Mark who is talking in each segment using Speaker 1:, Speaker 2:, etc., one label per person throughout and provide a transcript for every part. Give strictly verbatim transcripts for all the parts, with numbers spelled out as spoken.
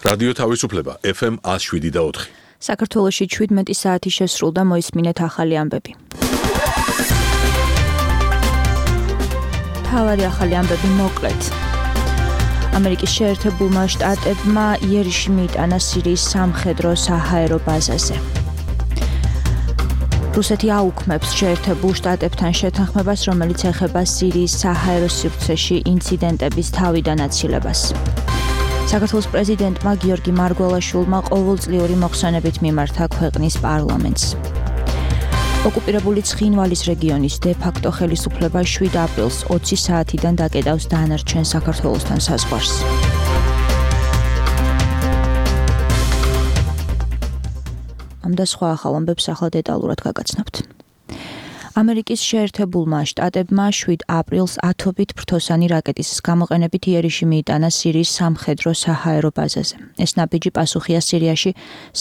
Speaker 1: რადიო თავისუფლება ეფ ემ ათს შვიდი და ოთხი.
Speaker 2: საქართველოში შვიდმეტი საათი შესრულდა, მოისმინეთ ახალი ამბები. თავარი ახალი ამბები მოკლედ. ამერიკის შეერთებულმა შტატებმა იერიში მიიტანა სირიის სამხედრო საჰაერო ბაზაზე. რუსეთი აუქმებს შეერთებულ შტატებთან შეთანხმებას, რომელიც ეხება სირიის საჰაერო სივრცეში ინციდენტების თავიდან აცილებას. საქართველოს პრეზიდენტმა გიორგი მარგველაშვილმა ყოველწლიური მოხსენებით მიმართა ქვეყნის პარლამენტს. ოკუპირებული ცხინვალის რეგიონის დე-ფაქტო ხელისუფლება შვიდ აპრილს ოცი საათიდან დაკეტავს დანარჩენ საქართველოსთან საზღვარს. ამ და სხვა ახალ ამბებს ახლა დეტალურად გაგაცნობთ. ამერიკის შეერთებულმა შტატებმა შვიდ აპრილს ათობით ფრთოსანი რაკეტის გამოყენებით იერიში მიიტანა სირიის სამხედრო საჰაერო ბაზაზე. ეს ნაბიჯი პასუხია სირიაში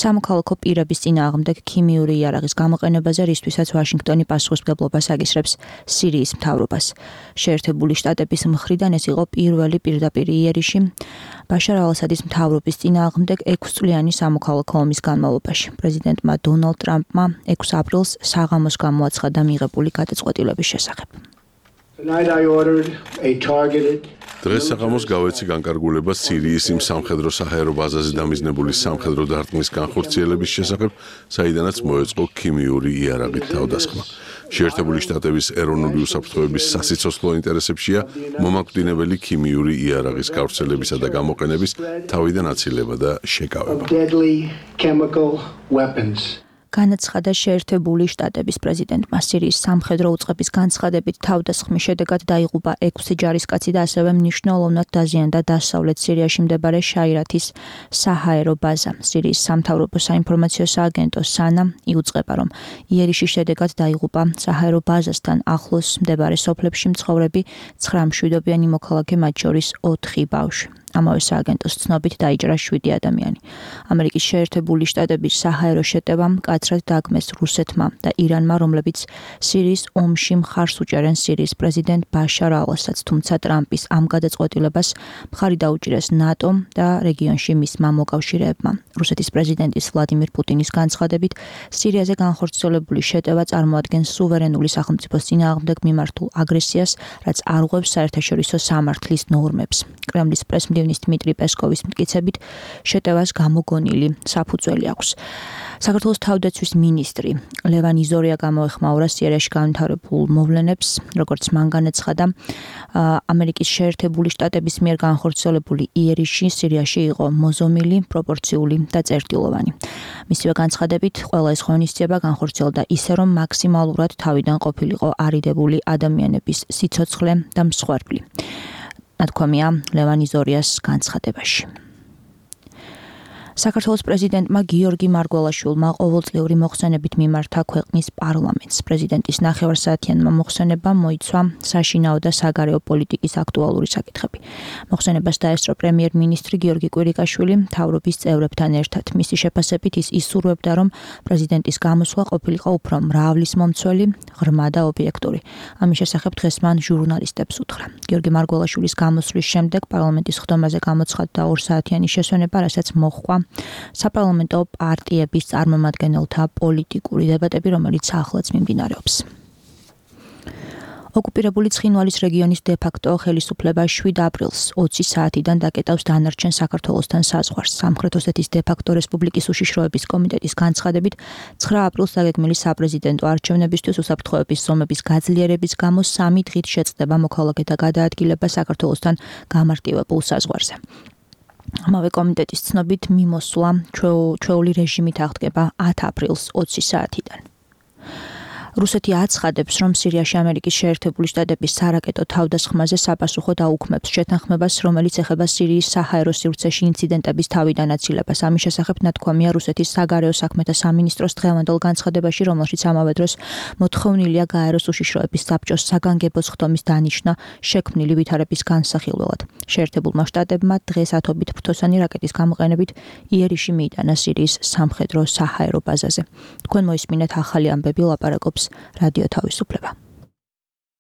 Speaker 2: სამოქალაქო პირების წინააღმდეგ ქიმიური იარაღის გამოყენებაზე, რისთვისაც ვაშინგტონი პასუხისმგებლობას აკისრებს სირიის მთავრობას. შეერთებული შტატების მხრიდან ეს იყო პირველი პირდაპირი იერიში ბაშარ ალ-ასადის მთავრობის წინააღმდეგ ექვსწლიანი სამოქალაქო ომის განმავლობაში. პრეზიდენტმა დონალდ ტრამპმა ექვსი აპრილს საღამოს გამოაცხადა მიღებული გადაწყვეტილების შესახებ.
Speaker 1: დღეს საღამოს გავეცი განკარგულება სირიის იმ სამხედრო საჰაერო ბაზაზე დამიზნებული სამხედრო დარტყმის განხორციელების შესახებ, საიდანაც მოეწყო ქიმიური იარაღით თავდასხმა. შეერთებული შტატების ეროვნული უსაფრთხოების სასიცოცხლო ინტერესებშია მომაკვდინებელი ქიმიური იარაღის გავრცელებისა და გამოყენების თავიდან აცილება და შეკავება. განაცხადა შეერთებული შტატების პრეზიდენტმა. სირიის სამხედრო უწყების განცხადებით თავდასხმის შედეგად დაიღუპა ექვსი ჯარისკაცი და ასევე მნიშვნელოვნად დაზიანდა დასავლეთ სირიაში მდებარე შაირათის საჰაერო ბაზა. სირიის სამთავრობო საინფორმაციო სააგენტო სანა იუწყება, რომ იერიშის შედეგად დაიღუპა საჰაერო ბაზასთან ახლოს მდებარე სოფლებში მცხოვრები ცხრა მშვიდობიანი მოქალაქე, მათ შორის ოთხი ბავშვი. ამავე სააგენტოს ცნობით დაიჭრა შვიდი ადამიანი. ამერიკის შეერთებული შტატების საჰაერო შეტევა მკაცრად დაგმეს რუსეთმა და ირანმა, რომლებიც სირიის ომში მხარს უჭერენ სირიის პრეზიდენტ ბაშარ ალ-ასადს, თუმცა ტრამპის ამ გადაწყვეტილებას მხარი დაუჭირეს ნატომ და რეგიონში მისმა მოკავშირეებმა. რუსეთის პრეზიდენტის ვლადიმირ პუტინის განცხადებით, სირიაზე განხორციელებული შეტევა წარმოადგენს სუვერენული სახელმწიფოს წინააღმდეგ მიმართულ აგრესიას, რაც არღვევს საერთაშორისო სამართლის ნორმებს. კრემლის პრესმდივნის დმიტრი პესკოვის მტკიცებით, შეტევას გამოგონილი საფუძველი აქვს. საქართველოს თავდაცვის მინისტრი ლევან იზორია გამოეხმაურა სირიაში განვითარებულ მოვლენებს, როგორც მან განაცხადა, ამერიკის შეერთებული შტატების მიერ განხორციელებული იერიში სირიაში იყო მოზომილი, პროპორციული და წერტილოვანი. მისივე განცხადებით, ყველა ეს ღონისძიება განხორციელდა ისე, რომ მაქსიმალურად თავიდან ყოფილიყო არიდებული ადამიანების სიცოცხლე და მსხვერპლი. ნათქვამია ლევან იზორიას განცხადებაში. საქართველოს პრეზიდენტმა გიორგი მარგველაშვილმა ყოველწლიური მოხსენებით მიმართა ქვეყნის პარლამენტს. პრეზიდენტის ნახევარსაათიანმა მოხსენებამ მოიცვა საშინაო და საგარეო პოლიტიკის აქტუალური საკითხები. მოხსენებას დაესწრო პრემიერ-მინისტრი გიორგი კვირიკაშვილი მთავრობის წევრებთან ერთად. მისი შეფასებით ის ისურვებდა, რომ პრეზიდენტის გამოსვლა ყოფილიყო უფრო მრავლისმომცველი, ღრმა და ობიექტური. ამის შესახებ დღეს მან ჟურნალისტებს უთხრა. გიორგი მარგველაშვილის გამოსვლის შემდეგ პარლამენტის ხდომაზე გამოცხადდა ორსაათიანი შესვენება, რასაც მოჰყვა საპარლამენტო პარტიების წარმომადგენელთა პოლიტიკური დებატები, რომელიც ახლაც მიმდინარეობს. ოკუპირებული ცხინვალის რეგიონის დე-ფაქტო ხელისუფლება შვიდ აპრილს ოცი საათიდან დაკეტავს დანარჩენ საქართველოსთან საზღვარს. სამხრეთ ოსეთის დე-ფაქტო რესპუბლიკის უშიშროების კომიტეტის განცხადებით, ცხრა აპრილს დაგეგმილი საპრეზიდენტო არჩევნებისთვის უსაფრთხოების ზომების გაძლიერების გამო სამი დღით შეწყდება მოქალაქეთა გადაადგილება საქართველოსთან გამარტივებულ საზღვარზე. ამავე კომიტეტის ცნობით მიმოსვლა ჩვეული რეჟიმით აღდგება ათი აპრილს ოცი საათიდან. რუსეთი აცხადებს, რომ სირიაში ამერიკის შეერთებული შტატების სარაკეტო თავდასხმაზე საპასუხოდ აუქმებს შეთანხმებას, რომელიც ეხება სირიის საჰაერო სივრცეში ინციდენტების თავიდან აცილებას. ამის შესახებ ნათქვამია რუსეთის საგარეო საქმეთა სამინისტროს დღევანდელ განცხადებაში, რომელშიც ამავე დროს მოთხოვნილია გაეროს უშიშროების საბჭოს საგანგებო ხდომის დანიშვნა შექმნილი ვითარების განსახილველად. შეერთებულმა შტატებმა დღეს ათობით ფრთოსანი რაკეტის გამოყენებით იერიში მიიტანა სირიის სამხედრო საჰაერო ბაზაზე. თქვენ მოისმინეთ ახალი ამბები, ლაპარაკობს რადიო თავისუფლება.